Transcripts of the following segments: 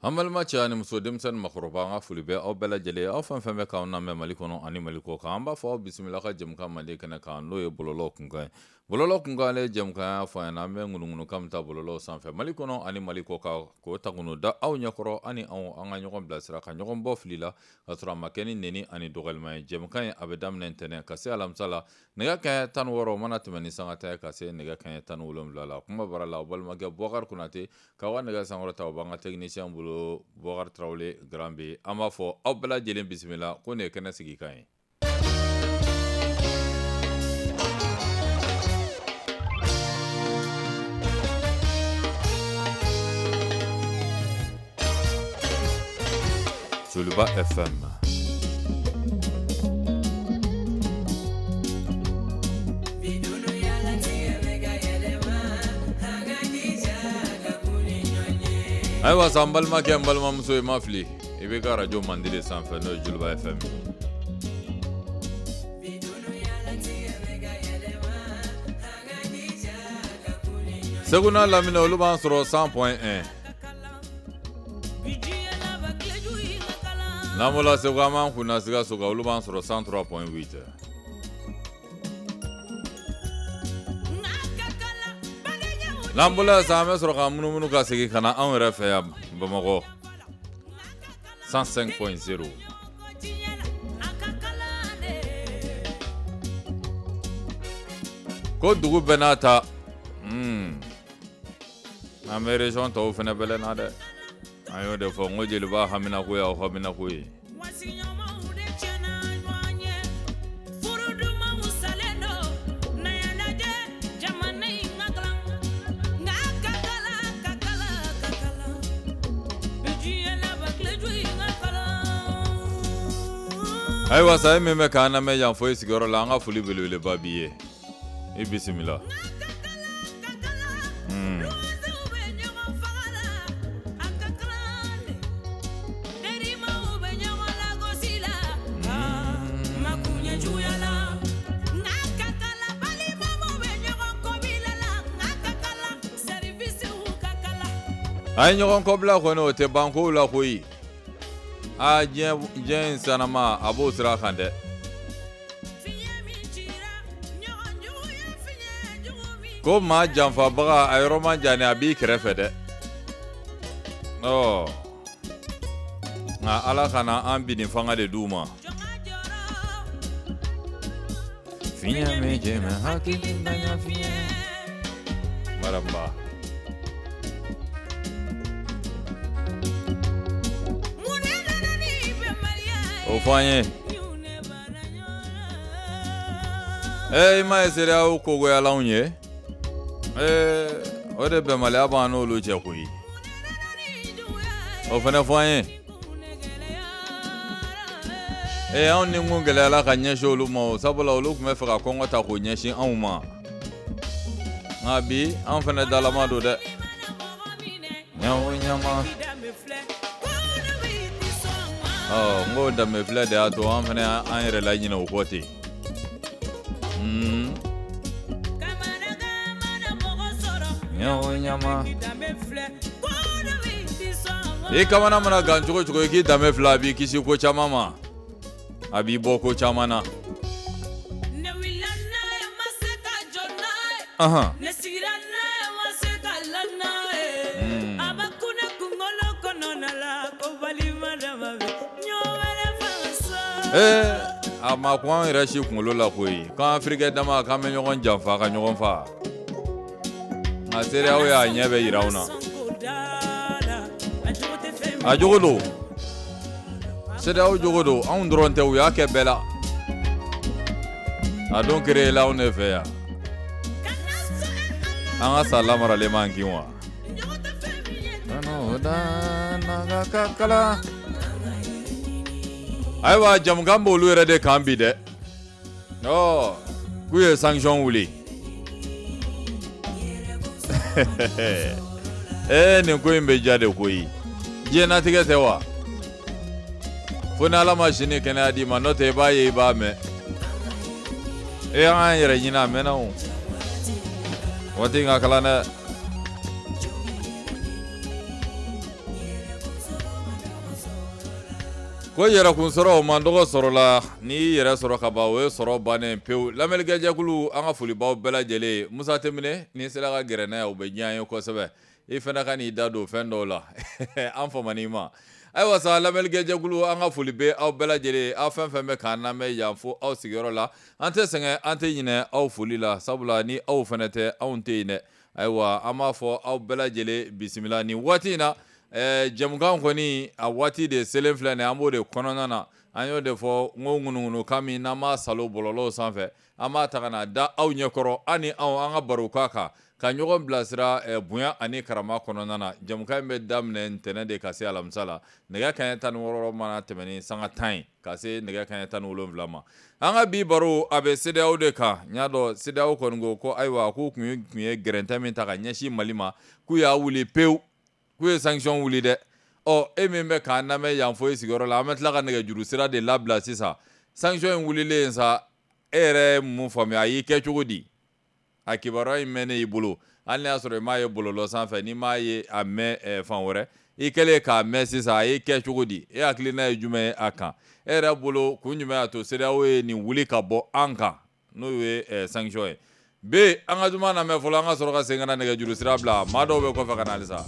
An balima cɛ ani muso, denmisɛnnin, makɔrɔba, an ka foli bɛ aw bɛɛ lajɛlen, aw fɛn fɛn bɛ k'anw lamɛn Mali kɔnɔ ani Mali kɔ kan. An b'a fɔ aw bisimila ka jɛmukan mandi kɛnɛ kan, n'o ye bɔlɔlɔ kunkan ye. Bɔlɔlɔ kunkan, ale ye jɛmukan y'a fɔ an ɲɛna, an bɛ ŋunuŋunukan min ta bɔlɔlɔ sanfɛ Mali kɔnɔ ani Mali kɔ kan, k'o ta k'o da aw ɲɛkɔrɔ, ani anw an ka ɲɔgɔn bilasira, ka ɲɔgɔn bɔ fili la, ka sɔrɔ a ma kɛ ni neni ani dɔgɔyalima ye. Jɛmukan in, a bɛ daminɛ ntɛnɛn ka se alamisa la, nɛgɛ kanɲɛ 16 mana tɛmɛ ni sanga 10 ye, ka se nɛgɛ kanɲɛ 17 la. Kuma bara la, aw balimakɛ Bubakari Konate k'aw ka nɛgɛ sankɔrɔ ta, o b'an ka technicien bolo, Bubakari Tarawele Grand B. An b'a fɔ aw bɛɛ lajɛlen bisimila ko nin ye kɛnɛ sigikan ye. Joliba FM. Ayiwa sa, n balimakɛ, n balimamuso, i ma fili, i bɛ ka arajo mandi de sanfɛ, n'o ye Joliba FM ye. Segu n'a lamini, olu b'an sɔrɔ 100.1. N'an bɔra Segu, an b'an kunna Sikaso kan, olu b'an sɔrɔ 103.8. N'an bɔra sisan, an bɛ sɔrɔ ka munumunu ka segin ka na anw yɛrɛ fɛ yan Bamakɔ, 105.0. Ko dugu bɛɛ n'a ta, an bɛ région tɔw fana bɛlɛn na dɛ. An y'o de fɔ n ko jeliba haminako y'aw haminako ye. Ayiwa sa, e min bɛ k'an lamɛn yan fo i sigiyɔrɔ la, an ka foli belebeleba b'i ye, i bisimila. A ye ɲɔgɔn kɔbila kɔni, o tɛ ban kow la koyi. Aa, diɲɛ diɲɛ in sanama, a b'o sira kan dɛ. Ko maa janfabaga, a yɔrɔ man jan, a b'i kɛrɛfɛ dɛ. Ɔ nka Ala kana an binni fanga de d'u ma. Fiɲɛ min jɛmɛ hakilintanya fiɲɛ maraba. O fɔ an ye. Ee, i ma ye CEDEAO kogoyalanw ye? Ee, o de bɛnbaliya b'an n'olu cɛ koyi. O fana fɔ an ye. Ee, anw ni kun gɛlɛyala ka ɲɛsin olu ma o, sabula olu tun bɛ fɛ ka kɔngɔ ta k'o ɲɛsin anw ma. Nka bi, anw fana dalama don dɛ. Ɲawo ɲama. Ɔ n ko danbe filɛ de y'a to an fana an yɛrɛ laɲinɛ o kɔ ten. Ɲawo ɲama. I kamana mana gan cogo cogo, i k'i danbe filɛ, a b'i kisi ko caman ma, a b'i bɔ ko caman na. Ahan. Ne sigira n'a ye, ma se ka la n'a ye. A bɛ kun ne kunkolo kɔnɔna la ko balima dama bɛ ɲɔgɔn wɛrɛ fanga sɔrɔ. Ee, a ma kun an yɛrɛ si kunkolo la koyi, k'an Afirikɛ dama k'an bɛ ɲɔgɔn janfa ka ɲɔgɔn fa. Nka CEDEAO y'a ɲɛ bɛ yira anw na. A jogo don, CEDEAO jogo don. Anw dɔrɔn tɛ, u y'a kɛ bɛɛ la. A don créé la anw de fɛ yan. An ka sa lamaralen m'an kin wa. Ka kala. Ayiwa, jamukan b'olu yɛrɛ de kan bi dɛ. Ɔ k'u ye sanction wuli. Ee, nin ko in bɛ ja de koyi. Diɲɛnatigɛ tɛ wa? Fo ni Ala ma sini kɛnɛya d'i ma, n'o tɛ i b'a ye, i b'a mɛn. E, an k'an yɛrɛ ɲini, a mɛnna o. Waati in ka kalan dɛ. Ko yɛrɛkun sɔrɔ o man dɔgɔ sɔrɔ la, n'i y'i yɛrɛ sɔrɔ ka ban o ye sɔrɔ bannen pewu. Lamɛnnikɛjɛkulu, an ka folibaw bɛɛ lajɛlen. Musa Tɛmine, n'i sera ka gɛrɛ n'a ye o bɛ diya an ye kosɛbɛ. I fana ka n'i da don fɛn dɔw la an famani ma. Ayiwa sa, lamɛnnikɛjɛkulu, an ka foli bɛ aw bɛɛ lajɛlen. Aw fɛn fɛn bɛ k'an lamɛn yan fo aw sigiyɔrɔ la, an tɛ sɛgɛn, an tɛ ɲinɛ aw foli la, sabula ni aw fana tɛ, anw tɛ yen dɛ. Ayiwa, an b'a fɔ aw bɛɛ lajɛlen bisimila nin waati in na. Jɛmukan kɔni a waati de selen filɛ nin, an b'o de kɔnɔna na. An y'o de fɔ n ko ŋunuŋunukan min n'an b'a salo bɔlɔlɔw sanfɛ, an b'a ta ka na da aw ɲɛkɔrɔ, an ni aw an ka baro k'a kan, ka ɲɔgɔn bilasira bonya ani karama kɔnɔna na. Jɛmukan in bɛ daminɛ ntɛnɛn de ka se alamisa la, nɛgɛ kanɲɛ 16 mana tɛmɛ ni sanga 10 ye ka se nɛgɛ kanɲɛ 17 ma. An ka bi baro a bɛ CEDEAO de kan. N y'a dɔn CEDEAO kɔni ko ko ayiwa, k'u kun ye gɛrɛntɛ min ta ka ɲɛsin Mali ma, k'u y'a wuli pewu, k'u ye sanction wuli dɛ. Ɔ, e min bɛ k'an lamɛn yan fo i sigiyɔrɔ la, an bɛ tila ka nɛgɛjuru sira de labila sisan. Sanction in wulilen sa, e yɛrɛ ye mun faamuya? A y'i kɛ cogo di? A kibaruya in mɛnnen i bolo, hali n'a y'a sɔrɔ i m'a ye bɔlɔlɔ sanfɛ, n'i m'a ye a mɛn fan wɛrɛ, i kɛlen k'a mɛn sisan, a y'i kɛ cogo di? E hakilina ye jumɛn ye a kan? E yɛrɛ bolo, kun jumɛn y'a to CEDEAO ye nin wuli ka bɔ an kan, n'o ye sanction ye? B, an ka juma lamɛn fɔlɔ, an ka sɔrɔ ka segin ka na nɛgɛjuru sira bila. Maa dɔw bɛ kɔfɛ ka na halisa.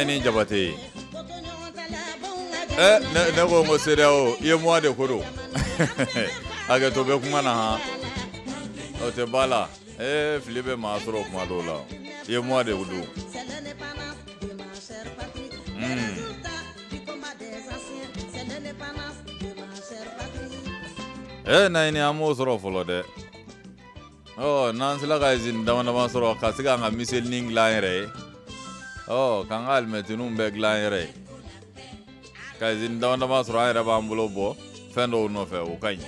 Ni Jabate, ne ko n ko CEDEAO i ye moi de ko don. Hakɛto bɛ kuma na han, o tɛ ba la. Fili bɛ maa sɔrɔ kuma dɔw la, i ye moi de don. Naɲini an m'o sɔrɔ fɔlɔ dɛ. Ɔ, n'an sera ka usine dama dama sɔrɔ ka se k'an ka miselinin dilan an yɛrɛ ye, ɔ, k'an ka alimɛtiniw bɛɛ dilan an yɛrɛ ye, ka usine dama dama sɔrɔ, an yɛrɛ b'an bolo bɔ fɛn dɔw nɔfɛ, o ka ɲi.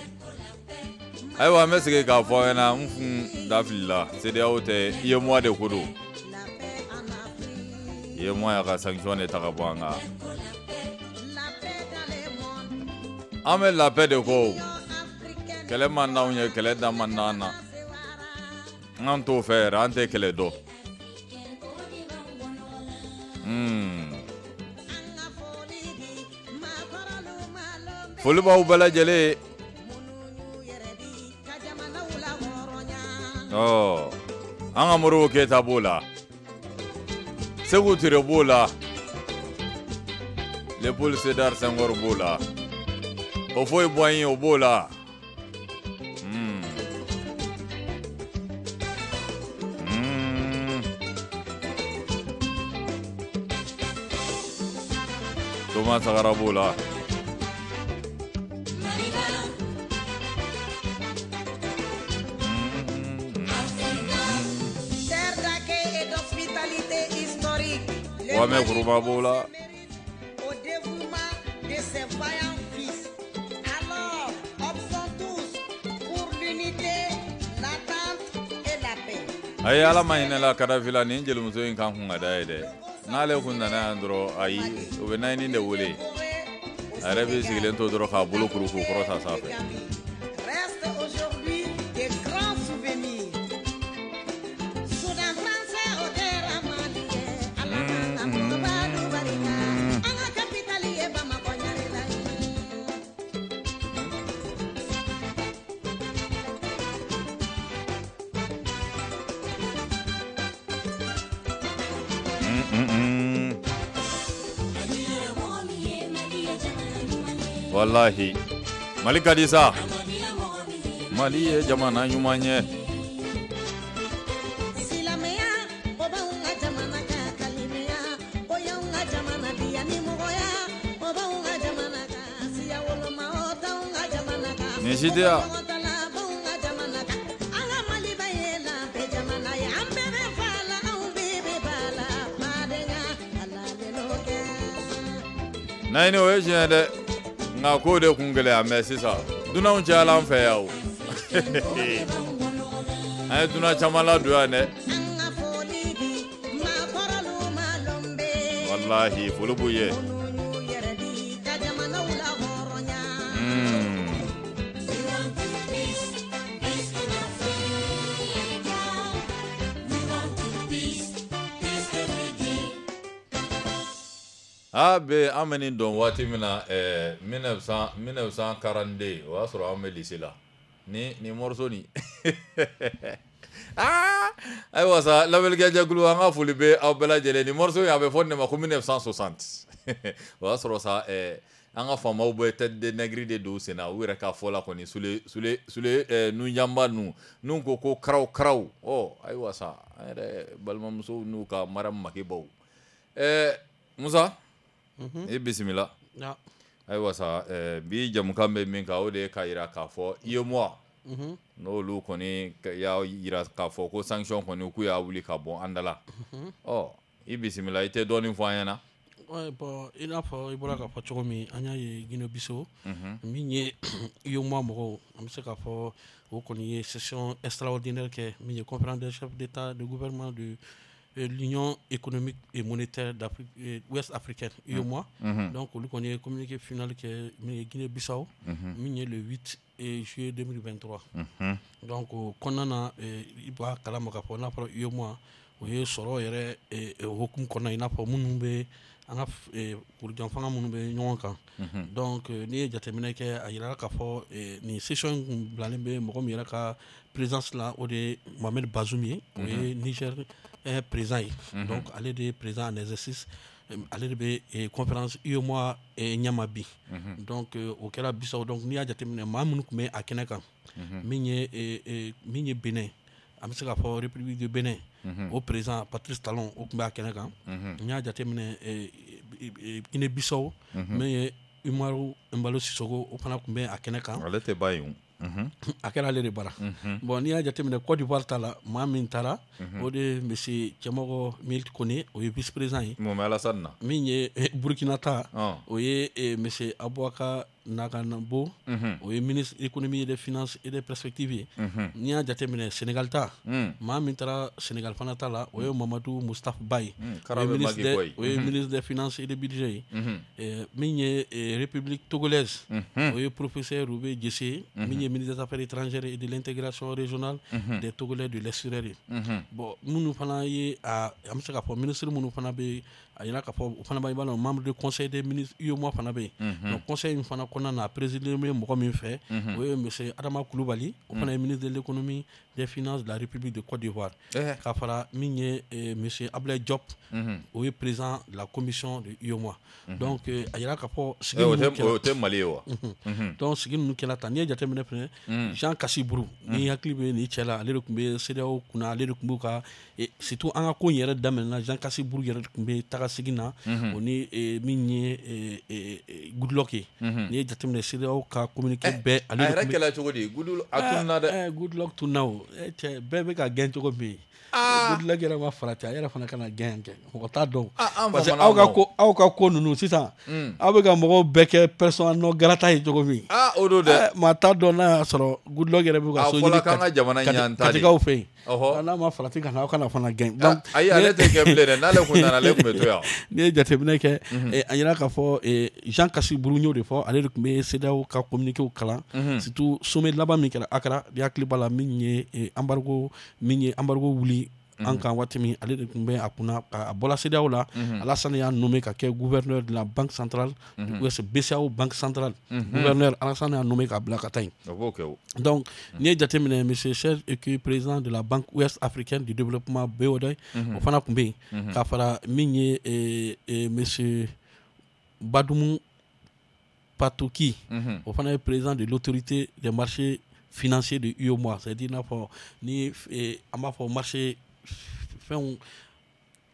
Ayiwa, an bɛ segin k'a fɔ aw ɲɛna, n kun da filila, CEDEAO tɛ, UEMOA de ko don. UEMOA y'a ka sanction de ta ka bɔ an kan. An bɛ la paix de kɔ, kɛlɛ man d'anw ye, kɛlɛ da man d'an na, an t'o fɛ yɛrɛ, an tɛ kɛlɛ dɔn. Foli b'aw bɛɛ lajɛlen. Ɔ, an ka Modibo Keyita b'o la, Sekou Touré b'o la, Léopold Sédar Senghor b'o la, Houphouët Boigny o b'o la. Thomas Sankara b'o la. Kwame Nkrumah b'o la. Ayi, Ala ma hinɛ la Kadafi la, nin jelimuso in kan kun ka da ye dɛ. N'ale kun nana yan dɔrɔn, ayi, o bɛ Nayini de wele. A yɛrɛ bɛ sigilen to dɔrɔn k'a bolo kuru k'u kɔrɔta sanfɛ. Wallahi Mali ka di sa, Mali ye jamana ɲuman ye. Nin si tɛ yan. Naɲini o ye tiɲɛ ye dɛ, nka k'o de kun gɛlɛya mais sisan dunanw cayala an fɛ yan o. An ye dunan caman ladon yan dɛ. Walahi foli b'u ye. A bɛ an bɛ nin dɔn waati min na 1942, o y'a sɔrɔ an bɛ lycée la ni morceau nin. Aa ayiwa sa, lamɛnnikɛjɛkulu, an ka foli bɛ aw bɛɛ lajɛlen. Nin morceau in a bɛ fɔ nin de ma ko 1960. O y'a sɔrɔ sa an ka faamaw bɛ tête de nègre de don sen na, u yɛrɛ ka fɔ la kɔni sule sule sule nunjanba ninnu n'u ko ko karaw karaw. Ɔ ayiwa sa, an yɛrɛ balimamusow n'u ka Mariam Makebaw. Musa, i bisimila. Ayiwa sa, bi jamukan bɛ min kan, o de ye k'a jira k'a fɔ UEMOA n'olu kɔni y'a jira k'a fɔ ko sanction kɔni k'u y'a wuli ka bɔ an da la. Ɔ i bisimila, i tɛ dɔɔnin fɔ an ɲɛna? Bon, i n'a fɔ i bɔra k'a fɔ cogo min, an y'a ye Guinée Bissau, min ye UEMOA mɔgɔw, an bɛ se k'a fɔ o kɔni ye session extraordinaire kɛ, min ye conférence des chefs d'État de gouvernement de l'Union économique et monétaire d'Afrique ouest africaine, UEMOA. Donc olu kɔni ye communiqué final kɛ min ye Guinée Bissau, min ye le 8 juillet 2023. Donc o kɔnɔna na, i b'a kalama k'a fɔ n'a fɔra UEMOA, o ye sɔrɔ yɛrɛ hukumu kɔnɔna, i n'a fɔ minnu bɛ an ka kurujan fanga minnu bɛ ɲɔgɔn kan. Donc n'i ye jateminɛ kɛ, a yirala k'a fɔ nin session in kun bilalen bɛ mɔgɔ min yɛrɛ ka présidence la, o de ye Mohamed Bazoum ye, o ye Niger président ye. Donc ale de ye président en exercice, ale de bɛ conférence UEMOA ɲɛma bi. Donc o kɛra Bissau. Donc n'i y'a jateminɛ, maa minnu tun bɛ a kɛnɛ kan, min ye Benin, an bɛ se k'a fɔ République de Benin, o président Patrice Talon, o tun bɛ a kɛnɛ kan. N y'a jateminɛ Guinée Bissau, min ye Umaru Embalo Sissoco, o fana tun bɛ a kɛnɛ kan. Ale tɛ ba yen. A kɛra ale de bara. Bon, n'i y'a jateminɛ Côte d'Ivoire ta la, maa min taara, o de ye monsieur Cɛmɔgɔ Milt Kone, o ye vice président ye. Mun bɛ Alassane na? Min ye Burkina ta, o ye monsieur Aboubacar Naganabo, o ye ministre économie et des finances et des perspectives ye. N'i y'a jateminɛ Sénégal ta, maa min taara Sénégal fana ta la, o ye Mamadou Moustapha Baye, o ye ministre des finances et des budgets ye. Min ye République togolaise, o ye professeur Roubé Djessé, min ye ministre des affaires étrangères et de l'intégration régionale des Togolais de l'extérieur ye. Bon, minnu fana ye a an bɛ se k'a fɔ ministre minnu fana bɛ a yira k'a fɔ o fana b'a dɔn membre du conseil des ministres UEMOA fana bɛ yen. Donc conseil in fana kɔnɔna na, a présidé bɛ mɔgɔ min fɛ, o ye monsieur Adama Coulibaly, o fana ye ministre de l'économie, des finances de la République de Côte d'Ivoire, ka fara min ye monsieur Abdoulaye Diop, o ye président de la commission de UEMOA. Donc a yira k'a fɔ sigi ninnu kɛra, o tɛ Mali ye wa? Donc sigi ninnu kɛra tan. N'i ye jateminɛ fɛnɛ, Jean Kassi-Brou, ni hakili bɛ nin cɛ la, ale de tun bɛ CEDEAO kunna, ale de tun b'u ka, surtout an ka ko in yɛrɛ daminɛna, Jean Kassi-Brou yɛrɛ de tun bɛ taga segin na, o ni min ye Goodluck ye. N'i ye jateminɛ CEDEAO ka communiqué bɛɛ, ale de tun bɛ. A yɛrɛ kɛla cogo di? Goodluck a tununna dɛ. Goodluck tununna o cɛ, bɛɛ bɛ ka gɛn cogo min. Goodluck yɛrɛ ma farati, a yɛrɛ fana kana gɛn kɛ, mɔgɔ t'a dɔn. Parce que aw ka ko ninnu sisan, aw bɛ ka mɔgɔw bɛɛ kɛ persona non grata ye cogo min. O don dɛ. Maa t'a dɔn n'a y'a sɔrɔ Goodluck yɛrɛ bɛ ka so ɲini Katikaw fɛ yen. N'a ma farati ka na, aw kana fana gɛn. Donc ayi, ale tɛ gɛn bilen dɛ, n'ale kun nana ale tun bɛ to yan. N'i ye jateminɛ kɛ, a yira k'a fɔ Jean Kassi-Brou y'o de fɔ, ale de tun bɛ CEDEAO ka communiqué kalan, surtout sommet laban min kɛra Accra, ni hakili b'a la, min ye embargo wuli an kan waati min, ale de tun bɛ a kunna. A bɔra CEDEAO la, Alassane y'a nommé ka kɛ gouverneur de la banque centrale, BCEAO banque centrale gouverneur, Alassane y'a nommé k'a bila ka taa yen. Donc n'i ye jateminɛ monsieur Serge Ekué, président de la banque ouest africaine du développement BOD, o fana tun bɛ yen, ka fara min ye monsieur Badoumou Patoki, o fana ye président de l'autorité des marchés financiers de UEMOA, c'est-à-dire n'a fɔ ni an b'a fɔ marché fɛnw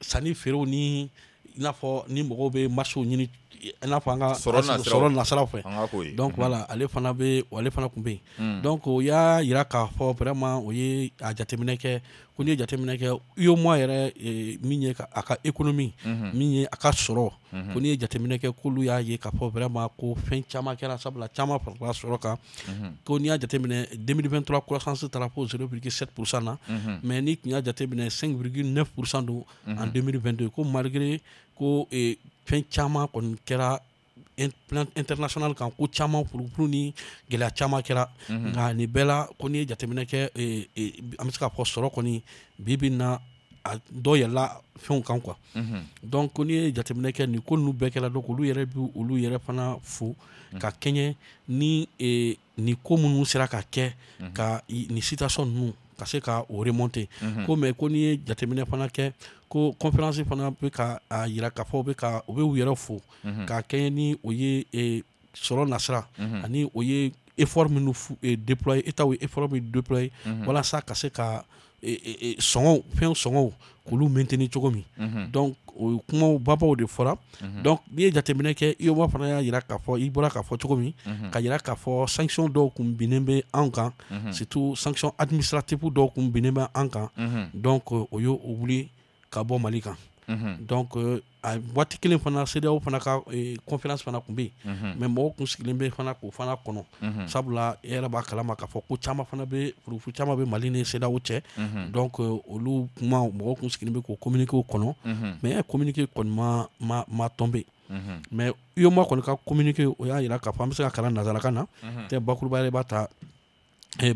sanni feerew ni i n'a fɔ ni mɔgɔw bɛ marché ɲini, i n'a fɔ an ka sɔrɔ nasiraw fɛ. Donc voilà, ale fana bɛ, ale fana tun bɛ yen. Donc o y'a jira k'a fɔ vraiment o ye a jateminɛ kɛ ko n'i ye jateminɛ kɛ UEMOA yɛrɛ, min ye a ka économie, min ye a ka sɔrɔ, ko n'i ye jateminɛ kɛ, k'olu y'a ye k'a fɔ vraiment ko fɛn caman kɛra, sabula caman farala sɔrɔ kan. Ko n'i y'a jateminɛ, 2023 croissance taara fo 0,7% na, mais n'i tun y'a jateminɛ, 5,9% don en 2022. Ko malgré ko fɛn caman kɔni kɛra plan international kan, ko caman furufuru ni gɛlɛya caman kɛra, nka nin bɛɛ la, ko n'i ye jateminɛ kɛ, an bɛ se k'a fɔ sɔrɔ kɔni bi bi in na, a dɔ yɛlɛla fɛnw kan quoi. Donc ko n'i ye jateminɛ kɛ, nin ko ninnu bɛɛ kɛra. Donc olu yɛrɛ bɛ olu yɛrɛ fana fo ka kɛɲɛ ni nin ko minnu sera ka kɛ ka nin situation ninnu ka se ka o remonter. Ko mais ko n'i ye jateminɛ fana kɛ, ko conférence fana bɛ ka a yira k'a fɔ u bɛ ka u bɛ u yɛrɛ fo ka kɛɲɛ ni o ye sɔrɔ nasira ani o ye effort minnu déployer, État ye effort min déployer walasa ka se ka sɔngɔw, fɛn sɔngɔw, k'olu maintenir cogo min. Donc o kumaw babaw de fɔra. Donc n'i ye jateminɛ kɛ, UEMOA fana y'a jira k'a fɔ, i bɔra k'a fɔ cogo min, ka jira k'a fɔ sanction dɔw kun binnen bɛ anw kan, surtout sanction administrative dɔw kun binnen bɛ an kan. Donc o y'o wuli ka bɔ Mali kan. Donc a waati kelen fana, CEDEAO fana ka conférence fana tun bɛ yen, mais mɔgɔw kun sigilen bɛ fana k'o fana kɔnɔ, sabula e yɛrɛ b'a kalama k'a fɔ ko caman fana bɛ, furufu caman bɛ Mali ni CEDEAO cɛ. Donc olu kuma, mɔgɔw kun sigilen bɛ k'o communiqué kɔnɔ, mais communiqué kɔni ma tombé. Mais UEMOA kɔni ka communiqué, o y'a jira k'a fɔ an bɛ se ka kalan nanzarakan na tɛ, bakuruba yɛrɛ b'a ta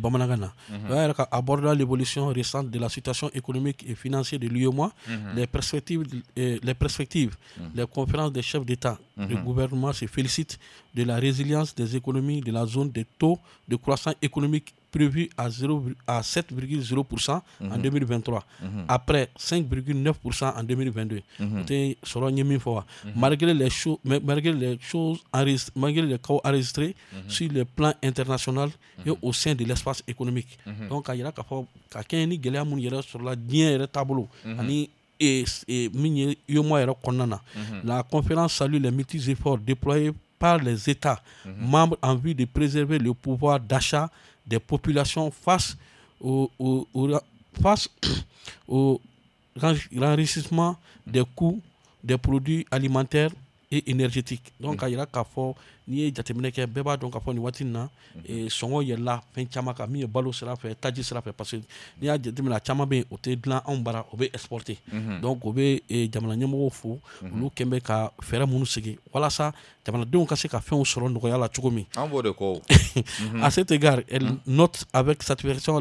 bamanankan na. O y'a yira ka abordant l'évolution récente de la situation économique et financière de l'UEMOA, les perspectives, les conférences des chefs d'État et de gouvernement se félicitent de la résilience des économies de la zone, des taux de croissance économique prévus à 0, à 7,0% en 2023, après 5,9% en 2022. O tɛ sɔrɔ n ye min fɔ wa, malgré les cas enregistrés sur le plan international et au sein de l'espace économique. Donc k'a yira k'a fɔ ka kɛɲɛ ni gɛlɛya minnu yɛrɛ sɔrɔla diɲɛ yɛrɛ taabolo ani min ye UEMOA yɛrɛ kɔnɔna na, la conférence salue les multiples efforts déployés par les États membres en vue de préserver le pouvoir d'achat des populations face au renchérissement des coûts des produits alimentaires et énergétiques. Donc k'a yira k'a fɔ n'i ye jateminɛ kɛ, bɛɛ b'a dɔn k'a fɔ nin waati in na, sɔngɔ yɛlɛla fɛn caman kan, min ye balo sira fɛ, taji sira fɛ, parce que n'i y'a jateminɛ, a caman bɛ yen, o tɛ dilan anw bara, o bɛ exporter. Donc o bɛ jamana ɲɛmɔgɔw fo, olu kɛn bɛ ka fɛɛrɛ minnu sigi walasa jamanadenw ka se ka fɛnw sɔrɔ nɔgɔya la cogo min. An b'o de kɔ. À cet égard, elle note avec satisfaction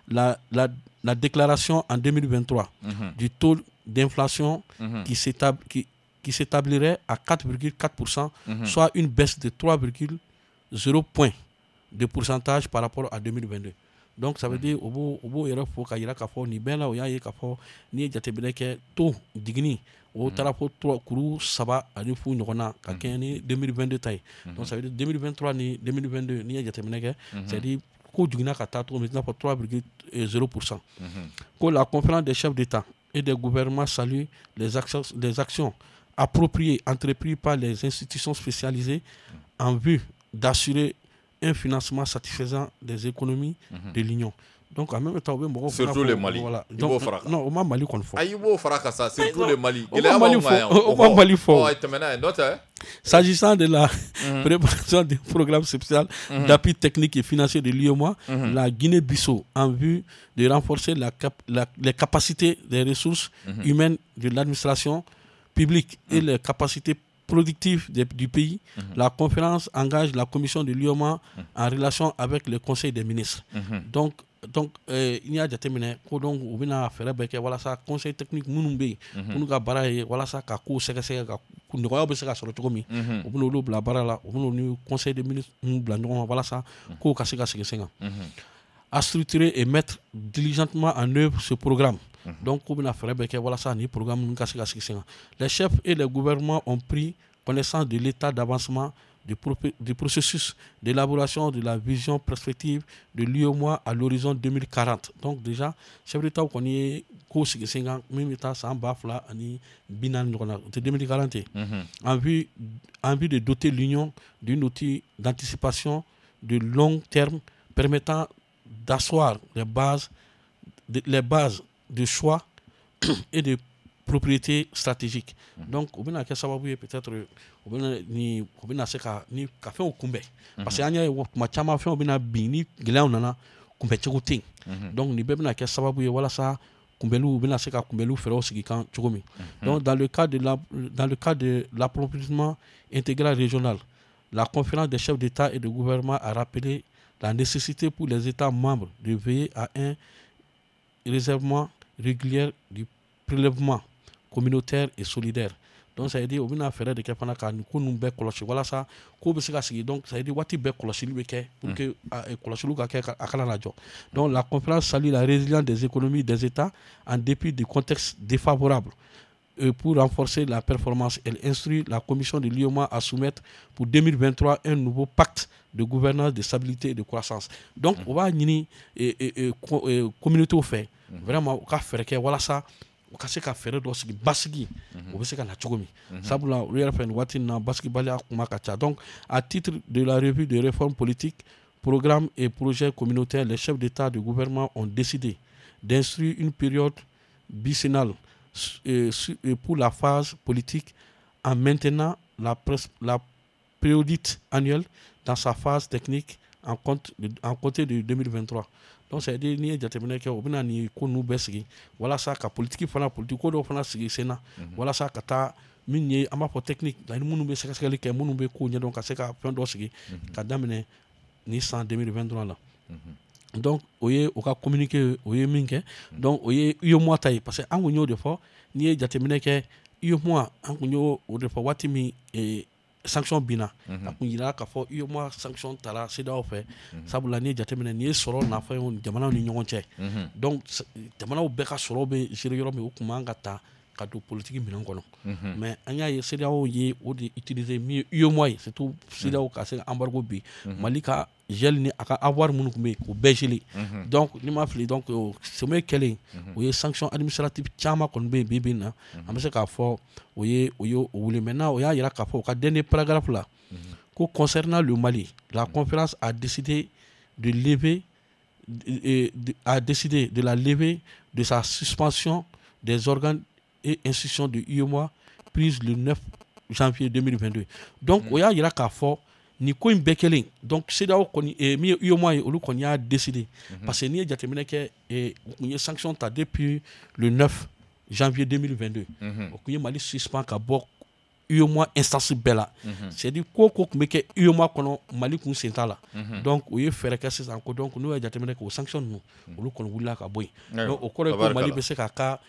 la déclaration en 2023 du taux d'inflation qui s'établirait à 4,4%, soit une baisse de 3,0 points de pourcentage par rapport à 2022. Donc ça veut dire o b'o yɛrɛ fo ka yira k'a fɔ nin bɛɛ la, o y'a ye k'a fɔ n'i ye jateminɛ kɛ, taux jiginni o taara fo 3.50 ɲɔgɔn na ka kɛɲɛ ni 2022 ta ye. Donc ça veut dire 2023 ni 2022, n'i ye jateminɛ kɛ, c'est à dire ko jiginna ka taa cogo min, i n'a fɔ 3,0%. Ko la conférence des chefs d'État et des gouvernements salue les actions appropriées entreprises par les institutions spécialisées en vue d'assurer un financement satisfaisant des économies de l'Union. Donc en même temps, u bɛ mɔgɔw fana Surtout le Mali. Voilà. I b'o fara kan. Non, o ma Mali kɔni fɔ. Ayi, i b'o fara kan sa, surtout le Mali. O ma Mali fɔ, o ma Mali fɔ. Ɔ, tɛmɛ n'a ye, n'o tɛ. S'agissant de la préparation du programme spécial d'appui technique et financier de l'UEMOA, la Guinée-Bissau, en vue de renforcer les capacités des ressources humaines de l'administration publique et les capacités productives du pays, la conférence engage la commission de l'UEMOA en relation avec le Conseil des ministres. Donc, n'i y'a jateminɛ ko donc u bɛna fɛɛrɛ bɛɛ kɛ walasa conseil technique minnu bɛ yen, minnu ka baara ye walasa ka kow sɛgɛsɛgɛ ka nɔgɔyaw bɛ se ka sɔrɔ cogo min, u bɛna olu bila baara la, u bɛna ni conseil des ministres bila ɲɔgɔn kan walasa kow ka se ka sigi sen kan, à structurer et mettre diligentement en œuvre ce programme. Donc k'u bɛna fɛɛrɛ bɛɛ kɛ walasa ni programme ninnu ka se ka sigi sen kan. Les chefs et les gouvernements ont pris connaissance de l'état d'avancement du processus d'élaboration de la vision perspective de l'UEMOA à l'horizon 2040. Donc déjà, chef d'État kɔni ye kow sigi sen kan min bɛ taa san 2040 ɲɔgɔn na, o tɛ 2040, en vue de doter l'Union d'un outil d'anticipation de long terme permettant d'asseoir les bases de choix et de priorités stratégiques. Donc o bɛna kɛ sababu ye, peut-être o bɛna ni o bɛna se ka ni ka fɛnw kunbɛn, parce que an y'a ye tuma caman fɛnw bɛna bin, ni gɛlɛyaw nana, kunbɛncogo tɛ yen. Donc nin bɛɛ bɛna kɛ sababu ye walasa kunbɛliw bɛna se ka kunbɛliw fɛɛrɛw sigi kan cogo min. Donc dans le cadre de l'approvisionnement intégral régional, la conférence des chefs d'État et de gouvernement a rappelé la nécessité pour les États membres de veiller à un relèvement régulier du prélèvement communautaire et solidaire. Donc ça veut dire u bɛna fɛɛrɛ de kɛ fana ka nin ko ninnu bɛɛ kɔlɔsi walasa ko bɛ se ka sigi. Donc ça veut dire waati bɛɛ kɔlɔsili bɛ kɛ pour que kɔlɔsiliw ka kɛ, a kana na jɔ. Donc la conférence salue la résilience des économies des États en dépit du contexte défavorable. Et pour renforcer la performance, elle instruit la commission de l'UEMOA à soumettre pour 2023 un nouveau pacte de gouvernance, de stabilité et de croissance. Donc, o b'a ɲini communauté fɛ vraiment u ka fɛɛrɛ kɛ walasa u ka se ka fɛɛrɛ dɔ sigi, basigi o bɛ se ka na cogo min, sabula olu yɛrɛ fɛ nin waati in na, basigibaliya kuma ka ca. Donc à titre de la revue de réforme politique, programme et projets communautaires, les chefs d'État et de gouvernement ont décidé d'instruire une période décennale pour la phase politique en maintenant la périodicité annuelle dans sa phase technique en compter de 2023. Donc c'est à dire n'i ye jateminɛ kɛ, u bɛna nin ko ninnu bɛɛ sigi walasa ka politique fana, politique ko dɔw fana sigi sen na walasa ka taa min ye an b'a fɔ technique ani minnu bɛ sɛgɛsɛgɛli kɛ, minnu bɛ kow ɲɛdɔn, ka se ka fɛn dɔ sigi ka daminɛ ni san 2023 la. Donc o ye u ka communiqué, o ye min kɛ. Donc o ye UEMOA ta ye, parce que an kun y'o de fɔ. N'i ye jateminɛ kɛ, UEMOA, an kun y'o o de fɔ waati min sanction binna, a kun yira k'a fɔ UEMOA sanction tara CEDEAO fɛ, sabula n'i ye jateminɛ, nin ye sɔrɔ nafa ye jamanaw ni ɲɔgɔn cɛ. Donc jamanaw bɛɛ ka sɔrɔ bɛ gérer yɔrɔ min, o kun man ka ta ka don politique minɛn kɔnɔ. Mais an y'a ye CEDEAO ye o de utiliser min ye UEMOA ye, surtout CEDEAO ka se ka embargo bin Mali ka gel ni a ka avoir minnu tun bɛ yen, k'o bɛɛ geler. Donc n'i ma fili, donc sommet kɛlen, o ye sanction administrative caman kɔni bɛ yen bi bi in na, an bɛ se k'a fɔ o ye o wuli. Maintenant o y'a yira k'a fɔ u ka dernier paragraphe la ko concernant le Mali, la conférence a décidé de la levée de sa suspension des organes et institutions de UEMOA prise le 9 janvier 2022. Donc o y'a yira k'a fɔ nin ko in bɛɛ kɛlen, donc CEDEAO kɔni, min ye UEMOA ye, olu kɔni y'a décidé, parce que n'i ye jateminɛ kɛ, u kun ye sanction ta depuis le 9 janvier 2022, o kun ye Mali suspend ka bɔ UEMOA instance bɛɛ la, c'est à dire ko o ko tun bɛ kɛ UEMOA kɔnɔ, Mali kun sen t'a la. Donc u ye fɛɛrɛ kɛ sisan ko donc n'u ye jateminɛ kɛ, o sanction ninnu, olu kɔni wulila ka bɔ yen. Donc o kɔrɔ ye ko Mali bɛ se k'a ka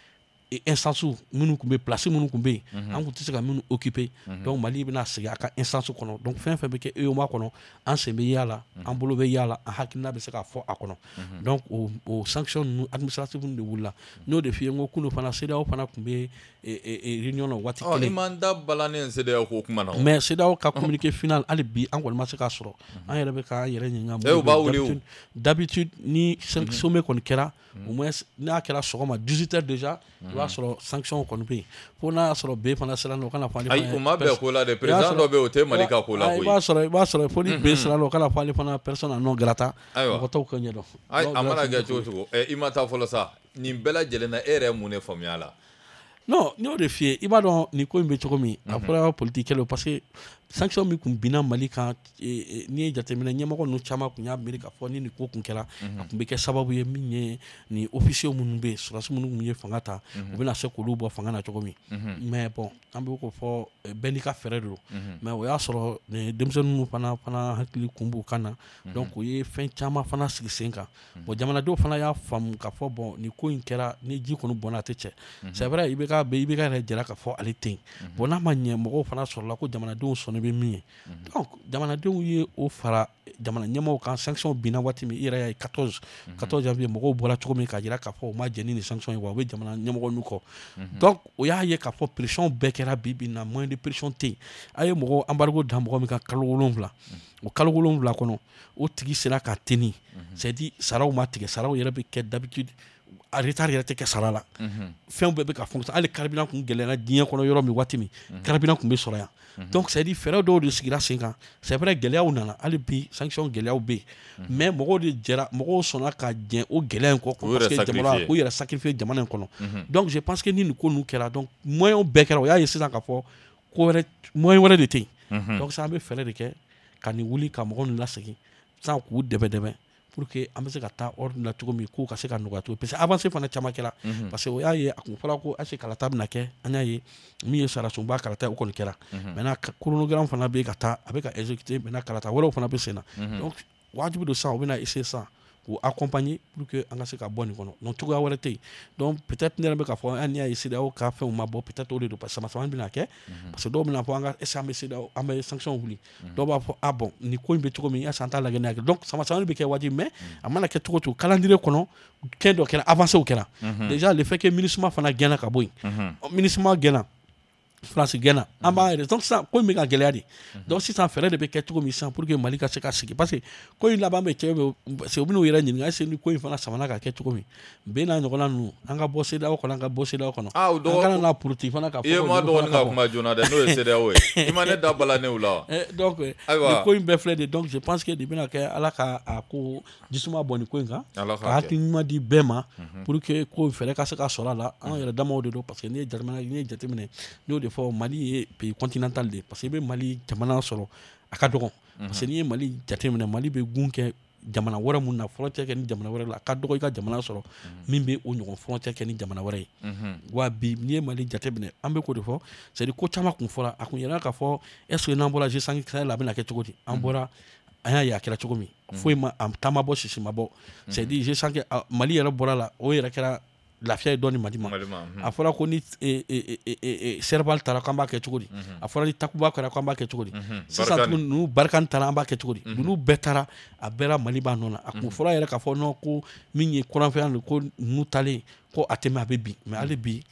instance minnu tun bɛ, place minnu tun bɛ yen, an tun tɛ se ka minnu occuper, donc Mali bɛna segin a ka instance kɔnɔ. Donc fɛn fɛn bɛ kɛ UEMOA kɔnɔ, an sen bɛ y'a la, an bolo bɛ y'a la, an hakilina bɛ se ka fɔ a kɔnɔ. Donc o sanction ninnu administrative de wulila. N y'o de f'i ye, n ko kunun fana CEDEAO fana tun bɛ réunion na waati kelen. I m'an da balannen CEDEAO ko kuma na. Mais CEDEAO ka communiqué final, hali bi an kɔni ma se k'a sɔrɔ. An yɛrɛ bɛ k'an yɛrɛ ɲininka. U b'a wuli o. D'habitude ni sommet kɔni kɛra, au moins n'a kɛra sɔgɔma 18 heures déjà, i b'a sɔrɔ sanction kɔni bɛ yen, fo n'a y'a sɔrɔ B fana sera o kana fɔ ale. Ayi, o ma bɛn ko la dɛ, président dɔ bɛ yen, o tɛ Mali ka ko la koyi. I b'a sɔrɔ fo ni B sera o kana fɔ ale fana personne non grata. Ayiwa, mɔgɔ t'o ko ɲɛdɔn. Ayi, a mana kɛ cogo o cogo, i ma taa fɔlɔ sa, nin bɛɛ lajɛlen na, e yɛrɛ ye mun de faamuya a la? Non, n y'o de f'i ye, i b'a dɔn nin ko in bɛ cogo min, a fɔra politique kɛlɛ, parce que sanction min kun binna Mali kan, n'i ye jateminɛ, ɲɛmɔgɔ ninnu caman kun y'a miiri k'a fɔ ni nin ko kun kɛra, a kun bɛ kɛ sababu ye min ye nin officiers minnu bɛ yen, sɔrɔdasi minnu kun ye fanga ta, u bɛna se k'olu bɔ fanga na cogo min. Mais bon, an bɛ k'o fɔ, bɛɛ n'i ka fɛɛrɛ de don. Mais o y'a sɔrɔ denmisɛnnin ninnu fana hakili kun b'u kan na, donc u ye fɛn caman fana sigi sen kan. Bon, jamanadenw fana y'a faamu k'a fɔ bon, nin ko in kɛra ni ji kɔni bɔnna, a tɛ cɛ. C'est vrai, IBK bɛ, IBK yɛrɛ jɛra k'a fɔ ale tɛ yen. Bon, n'a ma ɲɛ, mɔgɔw fana sɔrɔla ko jamanadenw sɔnni bɛ min ye, donc jamanadenw ye o fara jamana ɲɛmɔgɔw kan. Sanction binna waati min, i yɛrɛ y'a ye 14 janvier, mɔgɔw bɔra cogo min k'a jira k'a fɔ u ma jɛn ni nin sanction ye, wa u bɛ jamana ɲɛmɔgɔ ninnu kɔ. Donc o y'a ye k'a fɔ pression bɛɛ kɛra. Bi bi in na, moyen de pression tɛ yen. A ye mɔgɔ embargo da mɔgɔ min kan kalo 7, o kalo 7 kɔnɔ, o tigi sera ka tenir, c'est à dire saraw ma tigɛ, saraw yɛrɛ bɛ kɛ d'habitude. A retard yɛrɛ tɛ kɛ sara la, fɛn bɛɛ bɛ ka fonctionner. Hali carburant kun gɛlɛyara diɲɛ kɔnɔ yɔrɔ min, waati min carburant kun bɛ sɔrɔ yan. Donc c'est à dire fɛɛrɛ dɔw de sigira sen kan. C'est vrai, gɛlɛyaw nana, hali bi sanction gɛlɛyaw bɛ yen, mais mɔgɔw de jɛra, mɔgɔw sɔnna ka jɛn o gɛlɛya in kɔ parce que jamana k'u yɛrɛ sacrifier jamana in kɔnɔ. Donc je pense que ni nin ko ninnu kɛra, donc moyen bɛɛ kɛra, o y'a ye sisan k'a fɔ ko wɛrɛ, moyen wɛrɛ de tɛ yen. Donc sisan an bɛ fɛɛrɛ de kɛ ka nin wuli, ka mɔgɔw ninnu lasegin sisan, k'u dɛmɛ dɛmɛ pour que an bɛ se ka taa ordre la cogo min, k'u ka se ka nɔgɔya cogo, parce que avancée fana caman kɛra. Parce que o y'a ye, a kun fɔra ko est ce que kalata bɛna kɛ, an y'a ye min ye sariyasunba kalata ye, o kɔni kɛra. Maintenant chronogramme fana bɛ ka taa, a bɛ ka exécuter. Maintenant kalata wɛrɛw fana bɛ sen na. Donc wajibi don sisan, u bɛna essayer sisan k'u accompagner pour que an ka se ka bɔ nin kɔnɔ. Donc cogoya wɛrɛ tɛ yen. Donc peut-être ne yɛrɛ bɛ k'a fɔ, hali n'i y'a ye CEDEAO ka fɛnw ma bɔ, peut-être o de don, parce que sama sama bɛna kɛ, parce que dɔw bɛna fɔ an ka est ce que an bɛ CEDEAO, an bɛ sanction wuli, dɔw b'a fɔ ah bon, nin ko in bɛ cogo min, est ce que an t'a lajɛ n'a kɛ. Donc sama sama bɛ kɛ wajibi, mais a mana kɛ cogo o cogo, calendrier kɔnɔ kɛn dɔ kɛra, avancée kɛra déjà. Le fait que MINUSMA fana gɛnna ka bɔ yen, MINUSMA gɛnna, France gɛnna, an b'a yɛrɛ. Donc sisan ko in bɛ ka gɛlɛya de. Donc sisan fɛɛrɛ de bɛ kɛ cogo min sisan pour que Mali ka se ka sigi, parce que ko in laban bɛ cɛ bɛ, parce que u bɛn'u yɛrɛ ɲininka est ce que ni ko in fana samana ka kɛ cogo min, bɛn n'a ɲɔgɔnna ninnu, an ka bɔ CEDEAO kɔnɔ, an ka bɔ CEDEAO kɔnɔ, an kana na politique fana ka fɔ. I ye ma dɔgɔnin ka kuma joona dɛ, n'o ye CEDEAO ye, i ma ne da bala ne la. Donc nin ko in bɛɛ filɛ de. Donc je pense que nin bɛna kɛ, Ala ka a ko jisuma bɔ nin ko in kan, ka hakili ɲuman di bɛɛ ma pour que ko fɛɛrɛ ka se ka sɔrɔ a la. An yɛrɛ damaw de don, parce que n'i ye jamana, n'i ye jateminɛ, n'i y'o de fɔ, Mali ye pays continental de ye, parce que i bɛ Mali jamana sɔrɔ a ka dɔgɔn, parce que n'i ye Mali jateminɛ, Mali bɛ gun kɛ jamana wɛrɛ mun na, frontière kɛ ni jamana wɛrɛ la, a ka dɔgɔ i ka jamana sɔrɔ min bɛ o ɲɔgɔn frontière kɛ ni jamana wɛrɛ ye. Wa bi n'i ye Mali jateminɛ, an bɛ k'o de fɔ, c'est à dire ko caman kun fɔra, a kun yɛrɛ k'a fɔ est ce que n'an bɔra G5 Sahel la, a bɛna kɛ cogo di? An bɔra, an y'a ye a kɛra cogo min, foyi ma, a ta ma bɔ, sisi ma bɔ. C'est à dire G5, Mali yɛrɛ bɔra la, o yɛrɛ kɛra lafiya ye dɔɔni Mali ma. A fɔra ko ni Serval taara, k'an b'a kɛ cogo di? A fɔra ni Takuba kɛra, k'an b'a kɛ cogo di? Sisan tuguni ninnu Barkhane taara, an b'a kɛ cogo di? Ninnu bɛɛ taara, a bɛɛ la Mali b'a nɔ na. A kun fɔra yɛrɛ k'a fɔ non, ko min ye kɔrɔnfɛya don, ko ninnu taalen ko a tɛ mɛn, a bɛ bin, mais hali bi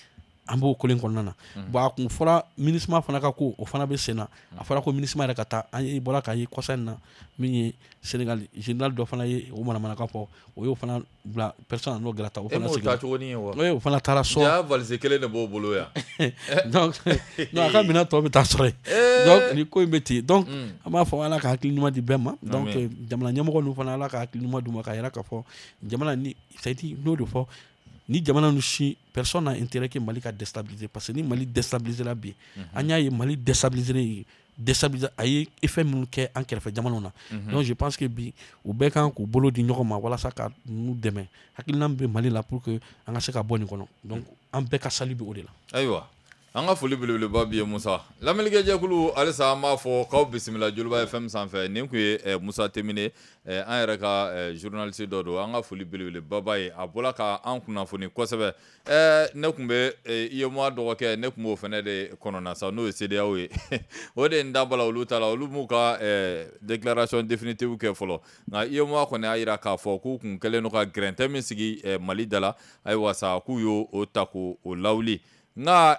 an b'o kelen kɔnɔna na. Bon, a kun fɔra MINUSMA fana ka ko, o fana bɛ sen na. A fɔra ko MINUSMA yɛrɛ ka taa, an ye bɔra k'a ye kɔsa in na, min ye Sénégal général dɔ fana ye o manamanakan fɔ, o y'o fana bila personne non grata, o fana seginna. E m'o taa cogo ye wa? O fana taara so. Ja valise kelen de b'o bolo yan. Donc non, a ka minɛn tɔ bɛ taa sɔrɔ yen. Donc nin ko in bɛ ten. Donc an b'a fɔ Ala ka hakili ɲuman di bɛɛ ma. Donc jamana ɲɛmɔgɔ ninnu fana, Ala ka hakili ɲuman d'u ma, k'a yira k'a fɔ jamana ni, c'est à dire n'o de fɔ, ni jamana ninnu si, personne n'a intérêt que Mali ka déstabiliser, parce que ni Mali déstabiliser la bi, an y'a ye Mali déstabiliser déstabiliser, a ye effet minnu kɛ an kɛrɛfɛ jamanaw na. Donc je pense que bi u bɛɛ kan k'u bolo di ɲɔgɔn ma walasa ka ninnu dɛmɛ, hakilina min bɛ Mali la pour que an ka se ka bɔ nin kɔnɔ. Donc an bɛɛ ka sali bɛ o de la. Ayiwa, an ka foli belebeleba bi ye Musa. Lamɛnnikɛjɛkulu, halisa an b'a fɔ k'aw bisimila Joliba FM sanfɛ. Nin kun ye Musa Temine, an yɛrɛ ka journaliste dɔ don. An ka foli belebeleba b'a ye, a bɔra ka an kunnafoni kosɛbɛ. Ne tun bɛ UEMOA dɔgɔkɛ, ne tun b'o fana de kɔnɔna sa, n'o ye CEDEAO ye. O de ye n da bala olu ta la, olu m'u ka déclaration définitive kɛ fɔlɔ, nka UEMOA kɔni y'a jira k'a fɔ k'u kun kɛlen don ka gɛrɛntɛ min sigi Mali da la, ayiwa sa, k'u y'o ta k'o lawuli. Nka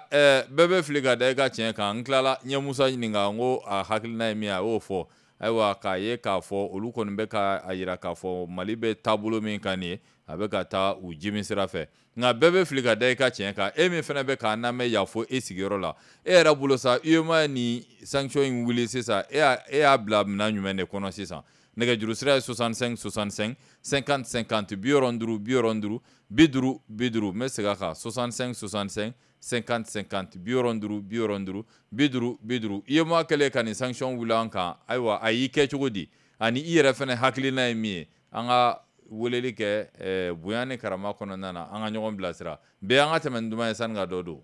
bɛɛ bɛ fili ka da i ka tiɲɛ kan. N tilala n ye Musa ɲininka, n ko a hakilina ye min ye, a y'o fɔ. Ayiwa, k'a ye k'a fɔ olu kɔni bɛ ka a jira k'a fɔ Mali bɛ taabolo min kan nin ye, a bɛ ka taa u jimi sira fɛ. Nka bɛɛ bɛ fili ka da i ka tiɲɛ kan. E min fana bɛ k'a lamɛn yan fo e sigiyɔrɔ la, e yɛrɛ bolo sa, UEMOA ni sanction in wuli sisan, e y'a bila minɛn jumɛn de kɔnɔ sisan? Nɛgɛjuru sira ye 65 65 50 50, 65 65 50 50. N bɛ segin a kan, 65 65 50 50, 65 65 50 50. UEMOA kɛlen ka nin sanction wuli an kan, ayiwa, a y'i kɛ cogo di? Ani i yɛrɛ fana hakilina ye min ye, an ka weleli kɛ bonya ni karama kɔnɔna na, an ka ɲɔgɔn bilasira. Bɛɛ an ka tɛmɛ ni duman ye sani ka dɔ don.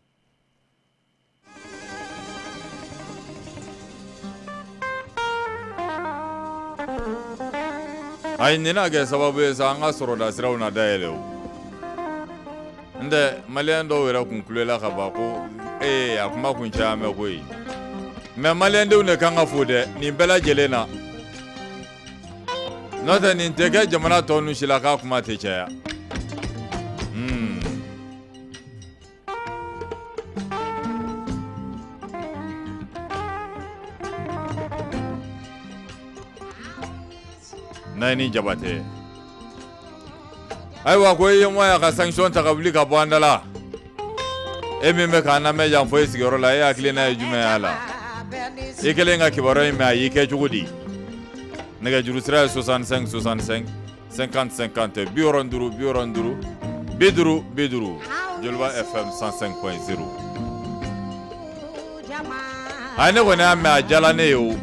Ayi, nin na kɛ sababu ye sa, an ka sɔrɔda siraw na dayɛlɛ o. N tɛ maliyɛn dɔw yɛrɛ kun kulela ka ban ko ee, a kuma kun caya mɛn koyi. Mais maliyɛndenw de kan ka fo dɛ nin bɛɛ lajɛlen na, n'o tɛ nin tɛ kɛ jamana tɔ ninnu si la k'a kuma tɛ caya. N'a ye ni Jabatɛ. Ayiwa ko UEMOA y'a ka sanction ta ka wuli ka bɔ an da la. E min bɛ k'an lamɛn yan fo e sigiyɔrɔ la, e hakilina ye jumɛn y'a la? I kɛlen ka kibaruya in mɛn, a y'i kɛ cogo di? Nɛgɛjuru sira ye 65 65 50 50 65 65 50 50 Joliba FM 105.0. Ayi, ne kɔni y'a mɛn, a diyala ne ye o.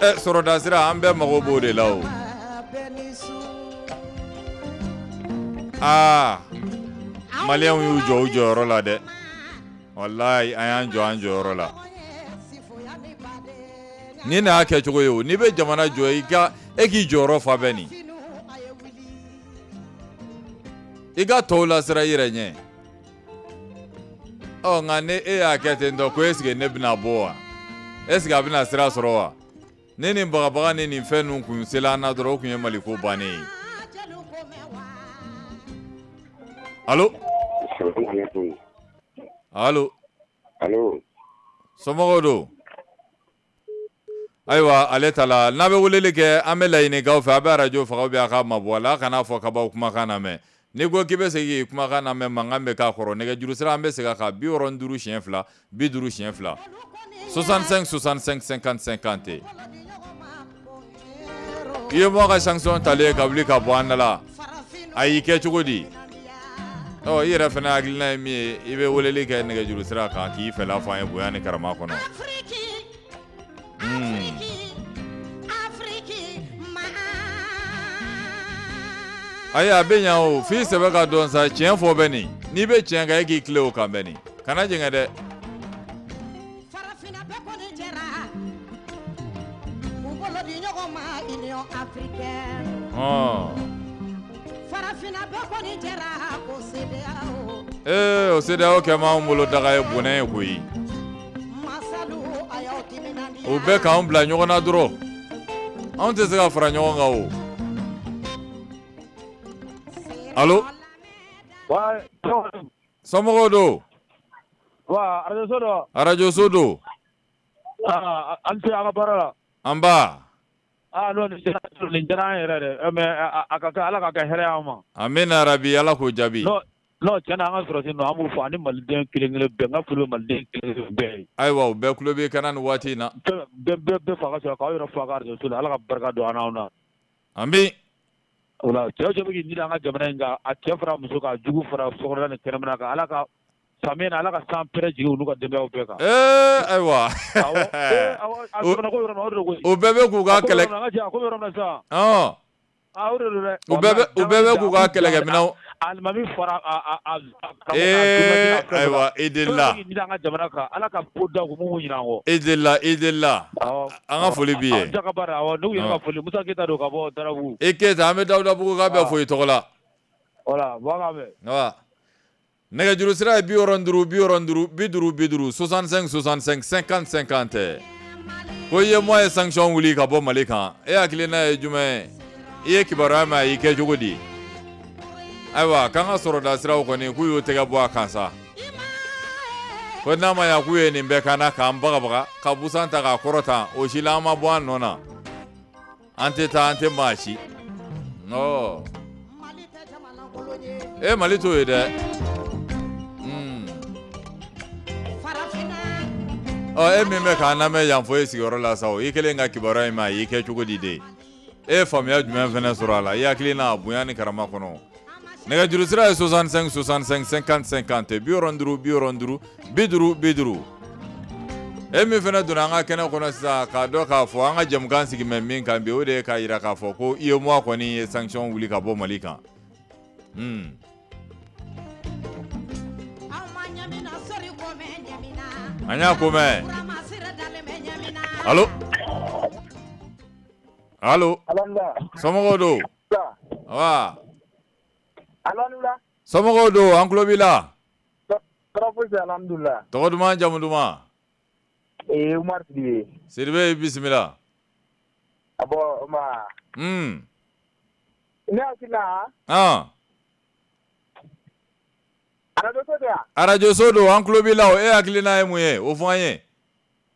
Ɛ, sɔrɔdasira, an bɛɛ mago b'o de la o. Aa, maliyɛnw y'u jɔ u jɔyɔrɔ la dɛ. Walayi, an y'an jɔ an jɔyɔrɔ la. Ni nin y'a kɛcogo ye o. N'i bɛ jamana jɔ, i ka e k'i jɔyɔrɔ fa bɛ nin. I ka tɔw lasira i yɛrɛ ɲɛ. Ɔ, nka ni e y'a kɛ ten tɔ ko est-ce que ne bɛna bɔ wa? Est-ce que a bɛna sira sɔrɔ wa? Ne ni bagabaga ni nin fɛn ninnu kun sela an na dɔrɔn, o kun ye Maliko bannen ye. Allo? Allo? Allo? Somɔgɔw don? Ayiwa, ale ta la, n'a bɛ weleli kɛ, an bɛ laɲini k'aw fɛ, a bɛ arajo faga ou bien a k'a mabɔ a la, a kana fɔ k'a b'aw kumakan lamɛn. N'i ko k'i bɛ segin k'i kumakan lamɛn, mankan bɛ k'a kɔrɔ. Nɛgɛjuru sira, an bɛ segin a kan, 65 siɲɛ 2, 50 siɲɛ 2, 65 65 50 50. UEMOA ka sanction talen ka wuli ka bɔ an da la, a y'i kɛ cogo di? Ɔ, i yɛrɛ fana hakilina ye min ye, i bɛ weleli kɛ nɛgɛjuru sira kan k'i fɛla fɔ an ye bonya ni karama kɔnɔ. Ayi, a bɛ ɲa o, f'i sɛbɛ ka dɔn sa. Tiɲɛ fɔ bɛ nin. N'i bɛ tiɲɛ kan, e k'i tilen o kan bɛ nin. Kana jɛngɛ dɛ. Farafinna bɛɛ kɔni jɛra k'u bolo di ɲɔgɔn ma Union africaine. Farafinna bɛɛ kɔni jɛra ko CEDEAO. Ee, o CEDEAO kɛ m'anw bolo daga ye, bɔnɛ ye koyi. Masalu, a y'aw timinandiya. O bɛɛ k'anw bila ɲɔgɔn na dɔrɔn, anw tɛ se ka fara ɲɔgɔn kan o. Allo? Somɔgɔw don? Wa arajo don. Arajo so don. Aa, an tɛ an ka baara la. An ba. Aa non, nin diyara an yɛrɛ dɛ, mais a ka kɛ, Ala ka kɛ hɛrɛ y'an ma. Amina rabi, Ala k'o jaabi. Non non, tiɲɛ na, an ka sɔrɔsi ninnu, an b'u fɔ ani maliden kelen kelen bɛɛ. N ka foli bɛ maliden kelen kelen bɛɛ ye. Ayiwa, u bɛɛ tulo b'i kan na nin waati in na. Bɛɛ bɛɛ bɛɛ fa ka sɔrɔ k'aw yɛrɛ fo a ka arajo so la. Ala ka barika don an n'aw na. Ami. O la, cɛ o cɛ bɛ k'i ɲini an ka jamana in kan, a cɛ fara muso kan, a jugu fara sokɔnɔla ni kɛnɛmana kan, Ala ka samiya in, Ala ka san pɛrɛ jigin olu ka denbayaw bɛɛ kan. Ee, ayiwa. Awɔ, ee awɔ, a jamana ko yɔrɔ min na, o de don koyi. O bɛɛ bɛ k'u ka kɛlɛ. A ko bɛ yɔrɔ min na sisan. Aa, o de don dɛ. U bɛɛ bɛ k'u ka kɛlɛkɛminɛnw. Alimami fara a Ee, ayiwa, i delila. Ɲini an ka jamana kan, Ala ka ko da u mun ɲinɛ an kɔ. I delila, i delila. An ka foli b'i ye. Aw ka baara, awɔ, ne yɛrɛ ka foli, Musa Keyita don ka bɔ Darabugu. I Keyita, an bɛ Dawudabugu ka bɛɛ fo i tɔgɔ la. Voilà, bon, an k'a mɛn. Wa. Nɛgɛjuru sira ye 65 65 50 50 65 65 50 50. Ko UEMOA ye sanction wuli ka bɔ Mali kan. E hakilina ye jumɛn ye? I ye kibaruya mɛn, a y'i kɛ cogo di? Ayiwa, k'an ka sɔrɔda siraw kɔni, k'u y'u tɛgɛ bɔ a kan sa. Ko n'a ma ɲa k'u ye nin bɛɛ k'an na, k'an bagabaga ka busan ta k'a kɔrɔta, o si la an ma bɔ an nɔ na. An tɛ taa, an tɛ maa si. Ɔ. E, Mali t'o ye dɛ. Ɔ, e min bɛ k'an lamɛn yan fo e sigiyɔrɔ la sa, o i kɛlen ka kibaruya in mɛn, a y'i kɛ cogo di de? E ye faamuya jumɛn fana sɔrɔ a la? I hakili n'a bonya ni karama kɔnɔ. Nɛgɛjuru sira ye 65 65 50 50 65 65 50 50. E min fana donna an ka kɛnɛ kɔnɔ sisan, k'a dɔn k'a fɔ an ka jɛmukan sigi mɛ min kan bi, o de ye k'a jira k'a fɔ ko UEMOA kɔni ye sanction wuli ka bɔ Mali kan. An y'a ko mɛn. Allo? Allo? Somɔgɔw don? Wa. Somɔgɔw don, an tulo b'i la. Tɔgɔ duman, jamu duman? Ee, Umar Sidibe. Sidibe, i bisimila. Bon, ma. Ne hakili la. Arajo so tɛ wa? Arajo so don, an tulo b'i la o. E hakilina ye mun ye? O fɔ an ye.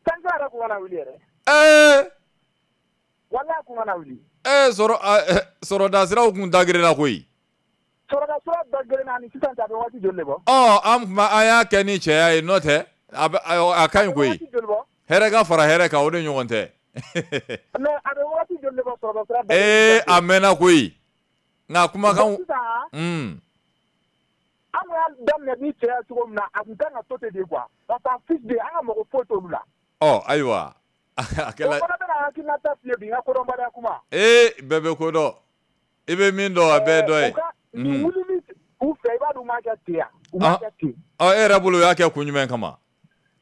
Sanction yɛrɛ kun kana wuli yɛrɛ. Ee! Walahi, a kun kana wuli. Ee, sɔrɔ sɔrɔdasiraw kun dagirinna koyi. Sɔrɔdasiya da gɛlɛn ni sisan cɛ, a bɛ waati joli de bɔ? Ɔ, an tun an y'a kɛ ni cɛya ye, n'o tɛ a ka ɲi koyi. Hɛrɛ ka fara hɛrɛ kan, o de ɲɔgɔn tɛ. Mais a bɛ waati joli de bɔ sɔrɔdasiya da? Ee, a mɛnna koyi, nka kumakan. Sisan, an y'a daminɛ ni cɛya cogo min na, a tun kan ka to ten de quoi. On s'en fiche de, an ka mɔgɔ foyi t'olu la. Ɔ, ayiwa. A kɛla. O fana bɛna hakilinata f'i ye bi, n ka kodɔnbaliya kuma. Ee, bɛɛ bɛ ko dɔn. I bɛ min dɔn, a bɛɛ ye dɔ ye. Nin wulili u fɛ, i b'a dɔn u m'a kɛ ten yan. U m'a kɛ ten. Ɔ, e yɛrɛ bolo, u y'a kɛ kun jumɛn kama?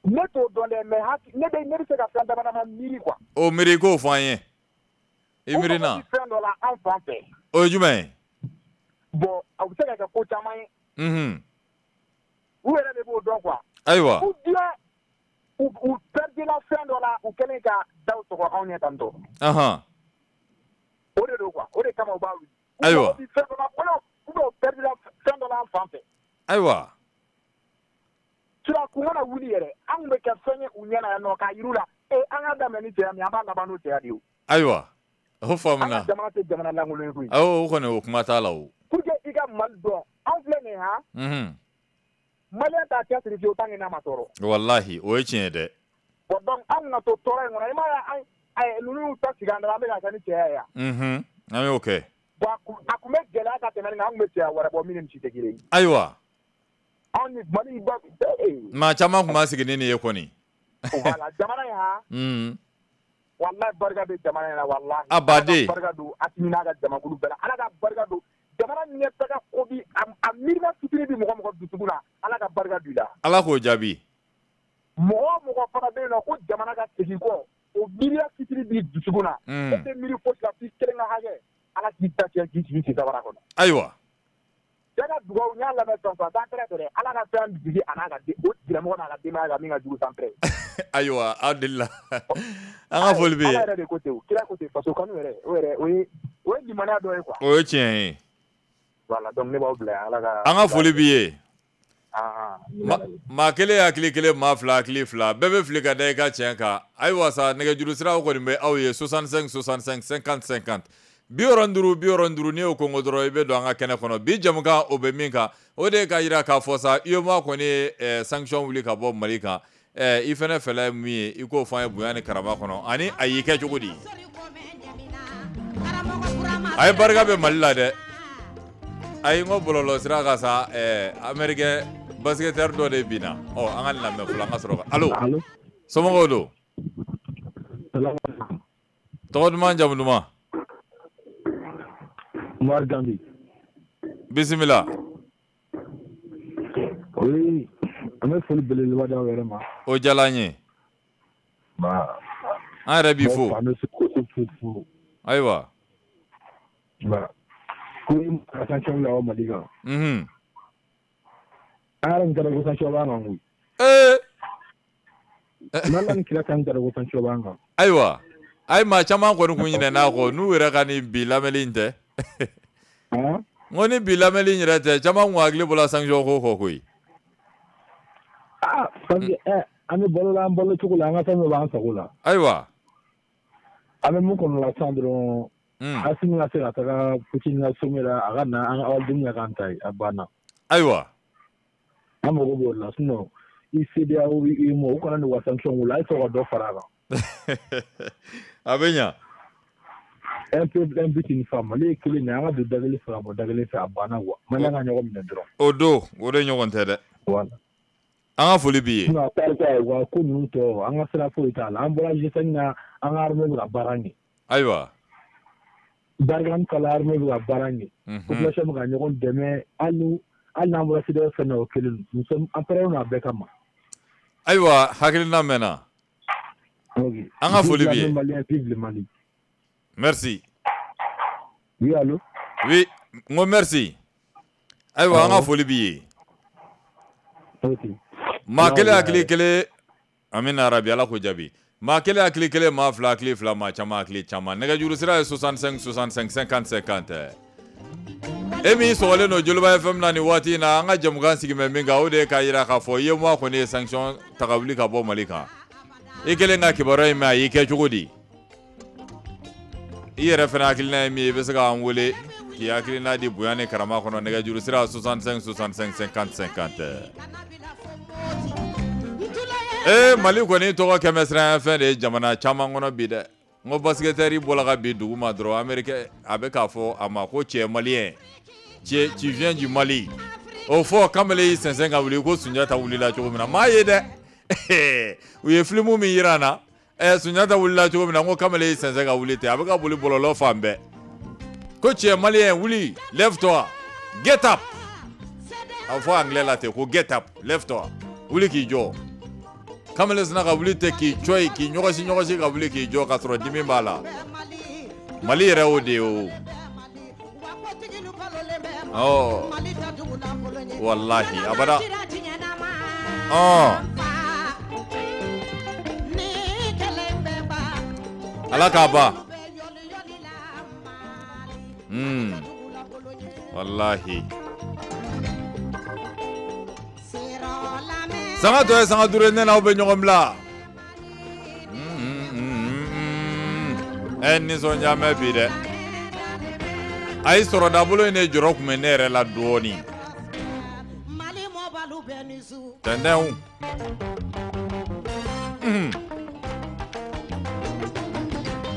Ne t'o dɔn dɛ, mais ne bɛ se ka fɛn dama dama miiri quoi. O miiri, k'o fɔ an ye. I miiri na. U mago bɛ fɛn dɔ la an fan fɛ. O ye jumɛn ye? Bon, a bɛ se ka kɛ ko caman ye. U yɛrɛ de b'o dɔn quoi. Ayiwa. Ou bien u perdila fɛn dɔ la, u kɛlen ka daw sɔgɔ anw ɲɛ tantɔ. O de don quoi, o de kama u b'a wuli. Ayiwa. U fɛn dɔ la, ou bien u perdila fɛn dɔ la an fan fɛ. Ayiwa. Sinon kun kana wuli yɛrɛ, an kun bɛ kɛ fɛn ye u ɲɛna yan nɔ k'a yir'u la. Ee, an ka daminɛ ni cɛya min ye, an b'a laban n'o cɛya de ye. Ayiwa. O faamuna. An ka jamana tɛ jamana lankolon ye koyi. Awɔ, o kɔni, o kuma t'a la o. Pour que i ka Mali dɔn, anw filɛ nin ye han. Malien t'a cɛsiri fiyewu tant que n'a ma tɔɔrɔ. Walahi, o ye tiɲɛ ye dɛ. Bon, donc an kana to tɔɔrɔ in kɔnɔ, i m'a ye, an ninnu y'u ta sigi an da la, an bɛ k'a kɛ ni cɛya ye yan. An y'o kɛ. Bon, a kun bɛ gɛlɛya ka tɛmɛ nin kan, an kun bɛ cɛya wɛrɛ bɔ min ni nin si tɛ kelen ye. Ayiwa. Anw ni Mali ba. Maa caman tun b'a sigi ni nin ye kɔni. Voilà, jamana in han. Walahi, barika bɛ jamana in na, walahi. A baden. Ala ka barika don Asimi n'a ka jamakulu bɛɛ la. Ala ka barika don jamana ɲɛtaga ko bi a miirina fitinin bi mɔgɔ mɔgɔ dusukun na, Ala ka barika don i la. Ala k'o jaabi. Mɔgɔ o mɔgɔ fana bɛ yen nɔ ko jamana ka segin kɔ, o miiriya fitinin b'i dusukun na. E tɛ miiri fosi la f'i kelen ka hakɛ. Ala k'i ta tiɲɛ k'i sigi sabara kɔnɔ. Ayiwa. Cɛ ka dugawu, n y'a lamɛn sisan sisan, san pɛrɛ dɛ. Ala ka fɛn jigi a n'a ka o tigilamɔgɔ n'a ka denbaya kan min ka jugu san pɛrɛ. Ayiwa, aw delila. An ka foli bɛ yen. Ala yɛrɛ de ko ten, kira ko ten, faso kanu yɛrɛ, o yɛrɛ o ye limaniya dɔ ye quoi. O ye tiɲɛ ye. Voilà, donc ne b'aw bila yan, Ala ka. An ka foli b'i ye. Maa kelen hakili kelen, maa fila hakili fila, bɛɛ bɛ fili ka da i ka tiɲɛ kan. Ayiwa sa, nɛgɛjuru siraw kɔni bɛ aw ye 65 65 50 50, 65 65. N'i y'o kɔngɔ dɔrɔn, i bɛ don an ka kɛnɛ kɔnɔ. Bi jamukan, o bɛ min kan, o de ye ka jira k'a fɔ sa, UEMOA kɔni ye sanction wuli ka bɔ Mali kan. I fɛnɛ fɛla ye min ye, i k'o fɔ an ye bonya ni karama kɔnɔ, ani a y'i kɛ cogo di. A ye barika bɛ Mali la dɛ. Ayi, n ko bɔlɔlɔ sira kan sa, américain basketteur dɔ de binna. Ɔ, an ka nin lamɛn fɔlɔ, an ka sɔrɔ ka. Allo, somɔgɔw don? Tɔgɔ duman, jamu duman? Umar Gambi. Bisimila. Oui, an bɛ foli belebeleba d'aw yɛrɛ ma. O diyara an ye. An yɛrɛ b'i fo. An bɛ fo. Ayiwa. Ko ka sanction bila Mali kan. An yɛrɛ tun t'a dɔn ko sanction b'an kan koyi. Ee. N'Ala ni kira k'an t'a dɔn ko sanction b'an kan. Ayiwa. Ayi, maa caman kɔni kun ɲinɛna kɔ, n'u yɛrɛ ka nin bi lamɛnni in tɛ. N ko ni bi lamɛnni in yɛrɛ tɛ, caman kun hakili bɔra sanction ko kɔ koyi. Ah, parce que an bɛ balo la, an balo cogo la, an ka fɛn bɛɛ b'an sago la. Ayiwa. An bɛ mun kɔnɔ la sisan dɔrɔn. Asimi ka se ka taga Poutine ka sommet la, a ka na an ka awaliden ka k'an ta ye, a banna. Ayiwa. An mago b'o la, sinon i CEDEAO, UEMOA, u kana n'u ka sanction wuli, a ye sɔrɔ ka dɔ fara a kan. A bɛ ɲa. Un peuple, un but, une femme. Mali ye kelen de ye, an ka don da kelen fɛ ka bɔ da kelen fɛ, a banna quoi. Malien ka ɲɔgɔn minɛ dɔrɔn. O don, o de ɲɔgɔn tɛ dɛ. Voilà. An ka foli b'i ye. Sinon a tarika u ka ko ninnu tɔ, an ka sira foyi t'a la. An bɔra G5 na, an ka armée bɛ ka baara ɲɛ. Ayiwa. Barkhane kala, armée bɛ ka baara ɲɛ. Population bɛ ka ɲɔgɔn dɛmɛ, hali n'an bɔra CEDEAO fɛn na, o kelen don. Nous sommes an pɛrɛnnen don a bɛɛ kama. Ayiwa, hakilina mɛnna. An ka foli b'i ye. Malien, vive le Mali. Merci. Oui, allo. Oui, n ko merci. Ayiwa, an ka foli b'i ye. Maa kelen hakili kelen, amina rabi, Ala k'o jaabi. Maa kelen hakili kelen, maa fila hakili fila, maa caman hakili caman. Nɛgɛjuru sira ye 65 65 50 50. E min sɔgɔlen don Joliba FM na nin waati in na, an ka jamukan sigi bɛ min kan, o de ye k'a jira k'a fɔ UEMOA kɔni ye sanction ta ka wuli ka bɔ Mali kan. I kɛlen ka kibaruya in mɛn, a y'i kɛ cogo di? I yɛrɛ fana hakilina ye min ye, i bɛ se k'an wele. K'i hakilina di bonya ni karama kɔnɔ, nɛgɛjuru sira 65 65 50 50. Ee, Mali kɔni tɔgɔ kɛmɛ siran fɛn de ye jamana caman kɔnɔ bi dɛ. N ko basketteur bɔra ka bin dugu ma dɔrɔn, Américain a bɛ k'a fɔ a ma ko cɛ malien, tu viens du Mali. O fɔ kamalen y'i sɛnsɛn ka wuli ko Sunjata wulila cogo min na, maa ye dɛ. U ye film min yira an na, Sunjata wulila cogo min na, n ko kamalen y'i sɛnsɛn ka wuli ten, a bɛ ka boli bɔlɔlɔ fan bɛɛ. Ko cɛ malien, wuli, lève toi, get up. A fɔ anglais la ten ko get up, lève toi, wuli k'i jɔ. Kamalen sina ka wuli ten k'i cɔ k'i ɲɔgɔsi ɲɔgɔsi ka wuli k'i jɔ k'a sɔrɔ dimi b'a la. Mali yɛrɛ o de ye o. Ɔ walahi abada. Ɔ Ala k'a ban. Walahi. Sanga tɔ ye sanga 5 ye, ne n'aw bɛ ɲɔgɔn bila. Nisɔndiya mɛn bi dɛ. Ayi, sɔrɔdabolo in de jɔrɔ tun bɛ ne yɛrɛ la dɔɔnin. Tɛntɛnw.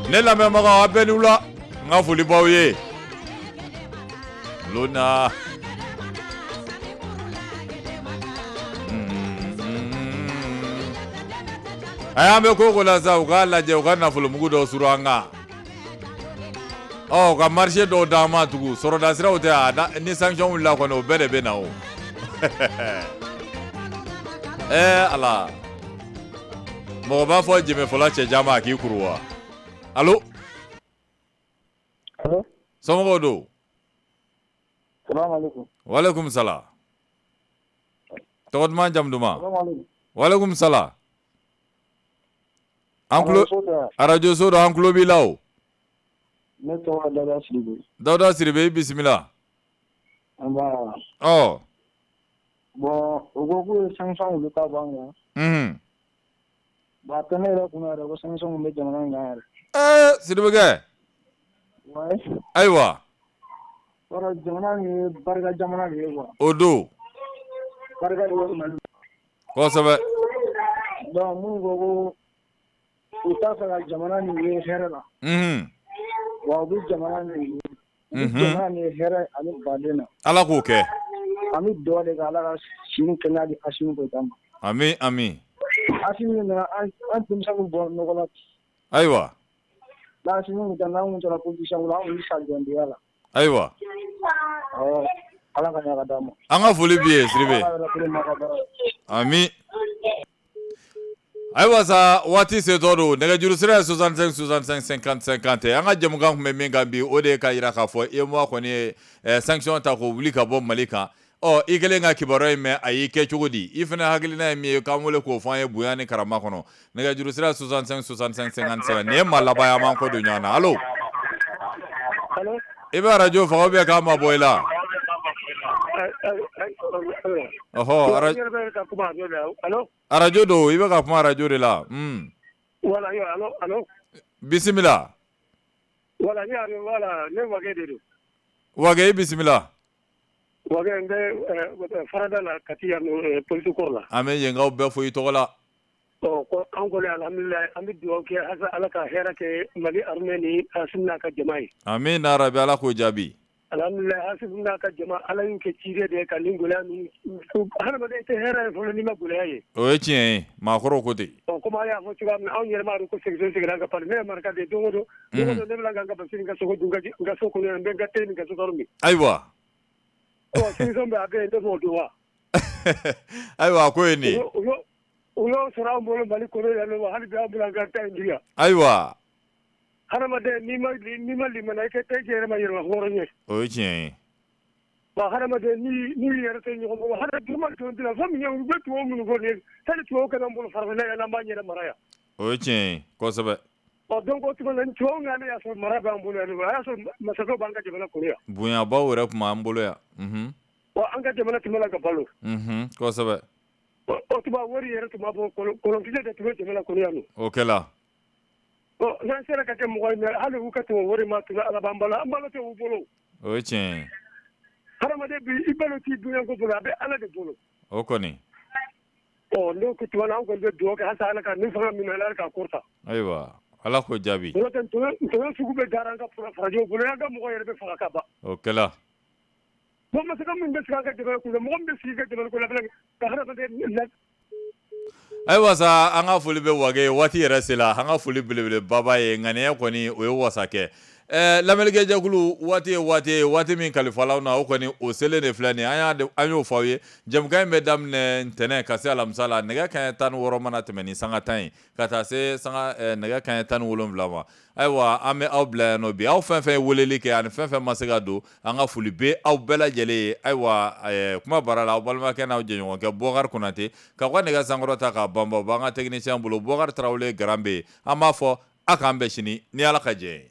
Ne lamɛnbagaw, aw bɛɛ ni wula. N ka foli b'aw ye. Lona. A y'an bɛ ko ko la sa, u k'a lajɛ u ka nafolomugu dɔw suru an kan. Ɔ, u ka marché dɔw d'an ma tugun, sɔrɔda siraw tɛ a ni sanction wulila kɔni, o bɛɛ de bɛ na o. Ala. Mɔgɔ b'a fɔ jɛmɛfɔla cɛjan ma a k'i kuru wa? Allo? Allo? Somɔgɔw don? Salaamaaleykum. Waaleykum salaam. Tɔgɔ duman, jamu duman? Waaleykum salaam. An tulo arajo so don, an tulo b'i la o. Ne tɔgɔ Dawuda Sidibe. Dawuda Sidibe, i bisimila. Nba. Ɔ. Bon, u ko k'u ye sanction wuli ka bɔ an kan. Bon, a tɛ ne yɛrɛ kunna yɛrɛ ko sanction bɛ jamana in kan yɛrɛ. Sidibekɛ. Ouais. Ayiwa. Yɔrɔ jamana in ye barika jamana de ye quoi. O don. Barika de bɛ Mali. Kosɛbɛ. Donc minnu ko ko u t'a fɛ ka jamana nin ye hɛrɛ la. Wa u bɛ jamana nin ye. U bɛ jamana nin ye hɛrɛ ani baden na. Ala k'o kɛ. An bɛ dugawu de kɛ Ala ka si ni kɛnɛya di Asimi Goyita ma. Ami ami. Asimi nana an denmisɛnninw bɔ nɔgɔ la. Ayiwa. N'Asimi tun tɛ, n'an tun taara politicien ko la, an tun bɛ sa jɔndenya la. Ayiwa. Awɔ, Ala ka ɲa ka d'an ma. An ka foli b'i ye Sidibe. Ami. Ayiwa sa, waati setɔ don, nɛgɛjuru sira ye 65 65 50 50. An ka jɛmukan tun bɛ min kan bi, o de ye ka jira k'a fɔ UEMOA kɔni ye sanction ta k'o wuli ka bɔ Mali kan. Ɔ, i kɛlen ka kibaruya in mɛn, a y'i kɛ cogo di? I fana hakilina ye min ye, k'an wele k'o fɔ an ye bonya ni karama kɔnɔ. Nɛgɛjuru sira 65 65 50. Nin ye maa laban ye, an b'an kɔ don ɲɔgɔn na. Allo? I bɛ arajo faga ou bien k'a mabɔ i la? Ɔhɔ, arajo don, i bɛ ka kuma arajo de la. Voilà, allo. Bisimila. Voilà, ne Wage de don. Wage, i bisimila. Wage, n bɛ farada la Kati yan polisi kɔrɔ la. An bɛ yenkaw bɛɛ fo i tɔgɔ la. Ɔ, ko an kɔni alhamdulilayi, an bɛ dugawu kɛ halisa Ala ka hɛrɛ kɛ Mali armée ni Asimi n'a ka jama ye. Amina rabi, Ala k'o jaabi. Alhamdulilayi, Asimi n'a ka jama, Ala y'u kɛ ciden de ye ka nin gɛlɛya ninnu, hadamaden tɛ hɛrɛ ye fɔlɔ n'i ma gɛlɛya ye. O ye tiɲɛ ye, maakɔrɔw ko ten. Ɔ, komi an y'a fɔ cogoya min na, anw yɛrɛ b'a dɔn ko section seginna an ka pari, ne ye maraka de ye, don o don ne bɛ ka n ka basi ni n ka sogo dun n ka so kɔnɔ yan, n bɛ n ka te ni n ka sukaro min. Ayiwa. Ɔ, section bɛ a bɛ yen, ne b'o dun wa. Ayiwa, a ko ye nin ye. U y'o sɔrɔ an bolo Mali kɔnɔ yan nɔ, hali bi an bolo an ka ta in dun yan. Ayiwa. Hadamaden n'i ma limaniya, i tɛ yɛrɛ ma yɛrɛma hɔrɔn ye. O ye tiɲɛ ye. Wa hadamaden n'i yɛrɛ tɛ ɲɔgɔn bolo, hadamaden tun tɛ fɛn min ye, u bɛ tubabu minnu fɔ nin ye, sani tubabu ka n'an bolo farafinna yan, n'an b'an yɛrɛ mara yan. O ye tiɲɛ ye kosɛbɛ. Ɔ, donc o tuma na tubabu nana y'a sɔrɔ mara b'an bolo yan, a y'a sɔrɔ masakɛw b'an ka jamana kɔnɔ yan. Bonyabaw yɛrɛ tun b'an bolo yan. Wa an ka jamana tun bɛ la ka balo. Kosɛbɛ. O tuma wari yɛrɛ tun b'a bɔ kolonkisɛ de tun bɛ jamana kɔnɔ yan nɔ. O kɛla. N'an sera ka kɛ mɔgɔ ye, hali u ka tɛmɛ wari ma tun Ala b'an balo, an balo tɛ u bolo. O ye tiɲɛ ye. Hadamaden bi i balo t'i dunya ko bolo, a bɛ Ala de bolo. O kɔni. Ɔ n'o ko tuma na, an kɔni bɛ dugawu kɛ halisa Ala ka nin fanga min Ala k'a kɔrɔta. Ayiwa, Ala k'o jaabi. N'o tɛ ntoyo sugu bɛɛ dara an ka farajɛw bolo, an ka mɔgɔ yɛrɛ bɛ faga ka ban. O kɛla. Bon, masakɛ min bɛ sigi an ka jamana kunna, mɔgɔ min bɛ sigi ka jamana kunna ka hadamaden la. Ayiwa sa, an ka foli bɛ wage waati yɛrɛ sela, an ka foli belebeleba ye ŋaniya kɔni o ye wasa kɛ. Lamɛnnikɛjɛkulu, waati ye waati ye, waati min kalifalaw na, o kɔni o selen de filɛ nin ye. An y'o fɔ aw ye, jɛmukan in bɛ daminɛ ntɛnɛn ka se alamisa la, nɛgɛ kanɲɛ 16 mana tɛmɛ ni sanga 10 ye ka taa se sanga nɛgɛ kanɲɛ 17 ma. Ayiwa, an bɛ aw bila yan nɔ bi. Aw fɛn fɛn ye weleli kɛ ani fɛn fɛn ma se ka don, an ka foli bɛ aw bɛɛ lajɛlen ye. Ayiwa, kuma baara la, aw balimakɛ n'aw jɛɲɔgɔnkɛ Bɔkari Konate k'aw ka nɛgɛ sankɔrɔ ta k'a banban, o b'an ka technicien bolo, Bɔkari Tarawele Garan bɛ yen. An b'a fɔ a k'an bɛn sini ni Ala ka jɛ ye.